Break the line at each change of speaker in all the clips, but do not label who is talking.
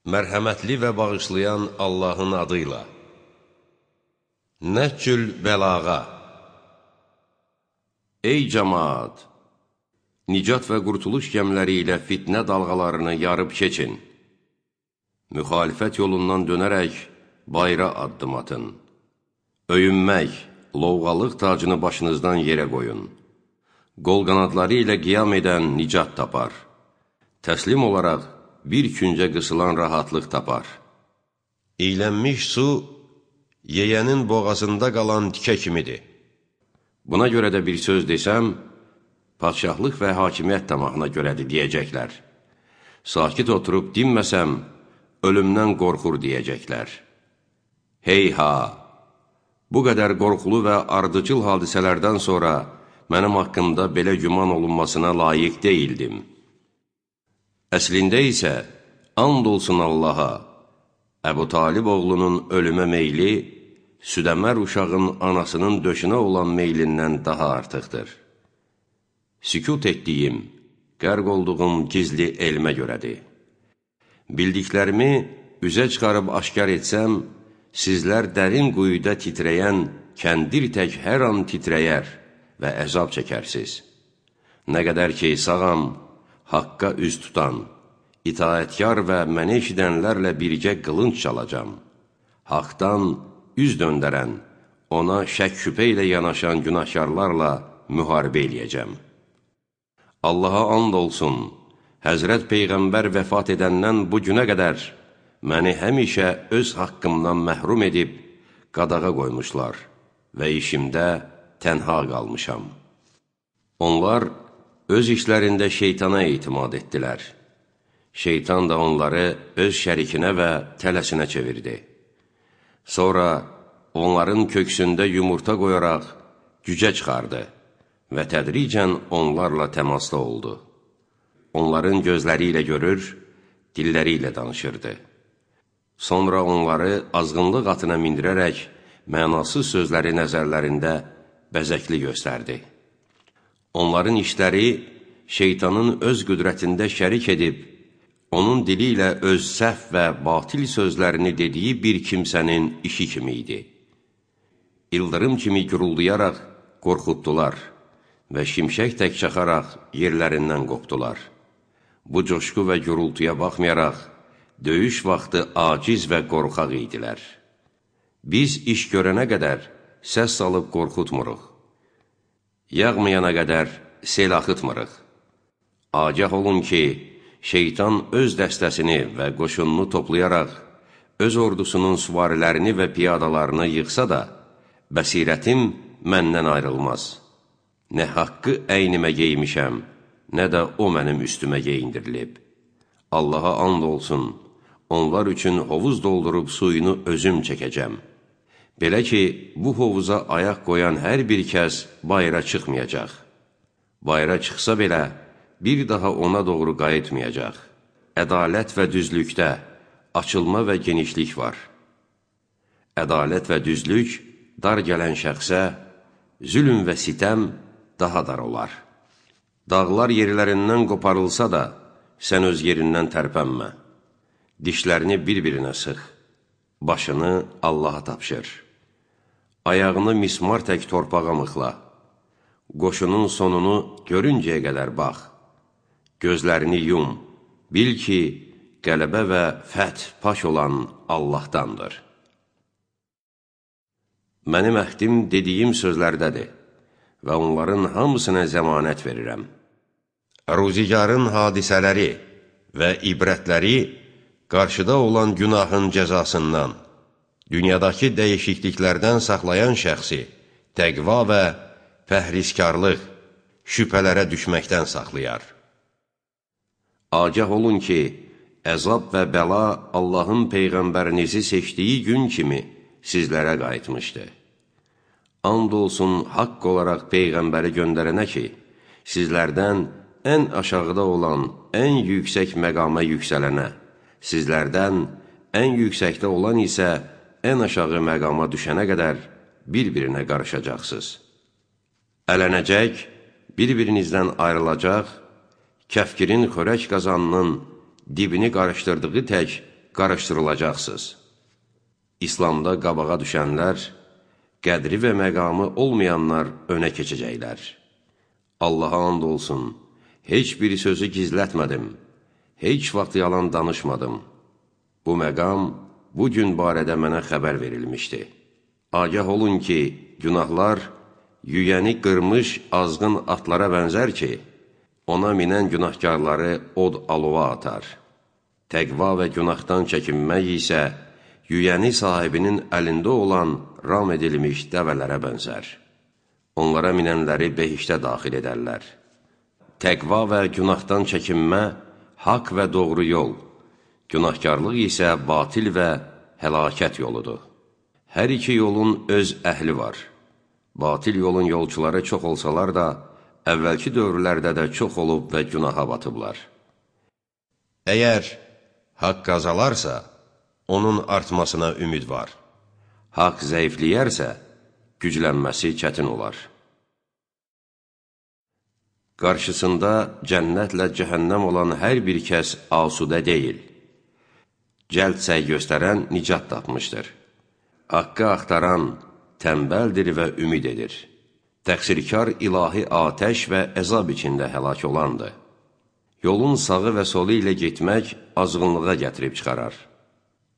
Mərhəmətli və bağışlayan Allahın adıyla. Nəhcül bəlağa. Ey cəmaat! Nicat və qurtuluş gəmləri ilə fitnə dalğalarını yarıb keçin. Müxalifət yolundan dönərək bayra addım atın. Öyünmək, lovğalıq tacını başınızdan yerə qoyun. Qol qanadları ilə qiyam edən nicat tapar. Təslim olaraq bir küncə qısılan rahatlıq tapar. İylənmiş su, yeyənin boğazında qalan tikə kimidir. Buna görə də bir söz desəm, padşahlıq və hakimiyyət tamahına görədir deyəcəklər. Sakit oturub dinməsəm, ölümdən qorxur deyəcəklər. Heyha! Bu qədər qorxulu və ardıcıl hadisələrdən sonra mənim haqqımda belə güman olunmasına layiq deyildim. Əslində isə, and olsun Allaha, Əbu Talib oğlunun ölümə meyli, südəmər uşağın anasının döşünə olan meylindən daha artıqdır. Sükut etdiyim, qərq olduğum gizli elmə görədir. Bildiklərimi üzə çıxarıb aşkar etsəm, sizlər dərin quyuda titrəyən, kəndir tək hər an titrəyər və əzab çəkərsiz. Nə qədər ki, sağam, haqqa üz tutan, itaətkar və məni eşidənlərlə birgə qılınc çalacam. Haqdan üz döndərən, ona şək-şübhə ilə yanaşan günahkarlarla müharibə eləyəcəm. Allaha and olsun, Həzrət Peyğəmbər vəfat edəndən bu günə qədər məni həmişə öz haqqımdan məhrum edib qadağa qoymuşlar və işimdə tənha qalmışam. Onlar öz işlərində şeytana etimad etdilər. Şeytan da onları öz şərikinə və tələsinə çevirdi. Sonra onların köksündə yumurta qoyaraq gücə çıxardı və tədricən onlarla təmasda oldu. Onların gözləri ilə görür, dilləri ilə danışırdı. Sonra onları azğınlıq atına mindirərək mənasız sözləri nəzərlərində bəzəkli göstərdi. Onların işləri şeytanın öz qüdrətində şərik edib, onun dili ilə öz səhv və batil sözlərini dediyi bir kimsənin işi kimi idi. İldırım kimi guruldayaraq qorxutdular və şimşək tək çaxaraq yerlərindən qopdular. Bu coşqu və gurultuya baxmayaraq, döyüş vaxtı aciz və qorxaq idilər. Biz iş görənə qədər səs salıb qorxutmuruq. Yağmayana qədər sel axıtmırıq. Agah olun ki, şeytan öz dəstəsini və qoşununu toplayaraq, öz ordusunun süvarilərini və piyadalarını yıxsa da, bəsirətim məndən ayrılmaz. Nə haqqı əynimə geymişəm, nə də o mənim üstümə geyindirilib. Allaha and olsun, onlar üçün hovuz doldurub suyunu özüm çəkəcəm. Belə ki, bu hovuza ayaq qoyan hər bir kəs bayra çıxmayacaq. Bayra çıxsa belə, bir daha ona doğru qayıtmayacaq. Ədalət və düzlükdə açılma və genişlik var. Ədalət və düzlük dar gələn şəxsə, zülm və sitəm daha dar olar. Dağlar yerlərindən qoparılsa da, sən öz yerindən tərpənmə. Dişlərini bir-birinə sıx, başını Allaha tapşır. Ayağını mismar tək torpağa mıxla. Qoşunun sonunu görüncəyə qədər bax. Gözlərini yum, bil ki, qələbə və fəth paş olan Allahdandır. Mənim əhdim dediyim sözlərdədir və onların hamısına zəmanət verirəm. Ruzigarın hadisələri və ibrətləri qarşıda olan günahın cəzasından, dünyadakı dəyişikliklərdən saxlayan şəxsi təqva və pəhriskarlıq, şübhələrə düşməkdən saxlayar. Agah olun ki, əzab və bəla Allahın Peyğəmbərinizi seçdiyi gün kimi sizlərə qayıtmışdı. And olsun haqq olaraq Peyğəmbəri göndərənə ki, sizlərdən ən aşağıda olan ən yüksək məqama yüksələnə, sizlərdən ən yüksəkdə olan isə ən aşağı məqama düşənə qədər bir-birinə qarışacaqsınız. Ələnəcək, bir-birinizdən ayrılacaq, kəfkirin xörək qazanının dibini qarışdırdığı tək qarışdırılacaqsınız. İslamda qabağa düşənlər, qədri və məqamı olmayanlar önə keçəcəklər. Allaha and olsun, heç bir sözü gizlətmədim, heç vaxt yalan danışmadım. Bu məqam bu gün barədə mənə xəbər verilmişdi. Agah olun ki, günahlar yüyəni qırmış azğın atlara bənzər ki, ona minən günahkarları od alova atar. Təqva və günahdan çəkinmək isə yüyəni sahibinin əlində olan ram edilmiş dəvələrə bənzər. Onlara minənləri behiştə daxil edərlər. Təqva və günahdan çəkinmə haqq və doğru yol, günahkarlıq isə batil və həlakət yoludur. Hər iki yolun öz əhli var. Batil yolun yolçuları çox olsalar da, əvvəlki dövrlərdə də çox olub və günaha batıblar. Əgər haqq qazalarsa, onun artmasına ümid var. Haqq zəifləyərsə, güclənməsi çətin olar. Qarşısında cənnətlə cəhənnəm olan hər bir kəs asudə deyil. Cəld səy göstərən nicat tapmışdır. Haqqı axtaran tənbəldir və ümid edir. Təqsirkar ilahi atəş və əzab içində həlak olandır. Yolun sağı və solu ilə getmək azğınlığa gətirib çıxarar.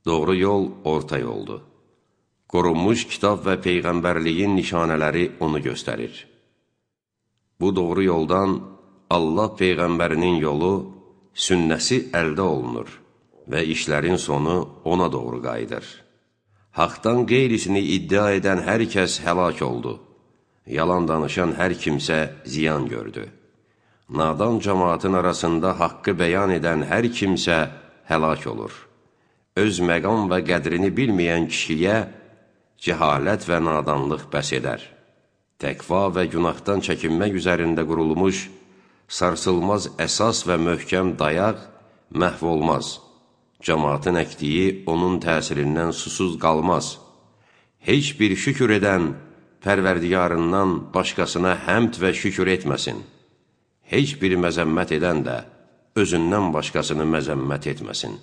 Doğru yol orta yoldur. Qorunmuş kitab və peyğəmbərliyin nişanələri onu göstərir. Bu doğru yoldan Allah peyğəmbərinin yolu, sünnəsi əldə olunur və işlərin sonu ona doğru qayıdır. Haqdan qeyrisini iddia edən hər kəs həlak oldu. Yalan danışan hər kimsə ziyan gördü. Nadan cəmaatın arasında haqqı bəyan edən hər kimsə həlak olur. Öz məqam və qədrini bilməyən kişiyə cəhalət və nadanlıq bəs edər. Təqva və günahdan çəkinmək üzərində qurulmuş, sarsılmaz əsas və möhkəm dayaq məhv olmaz. Cəmaatın əkdiyi onun təsirindən susuz qalmaz. Heç bir şükür edən Pərverdigarından başqasına həmd və şükür etməsin. Heç bir məzəmmət edən də özündən başqasını məzəmmət etməsin.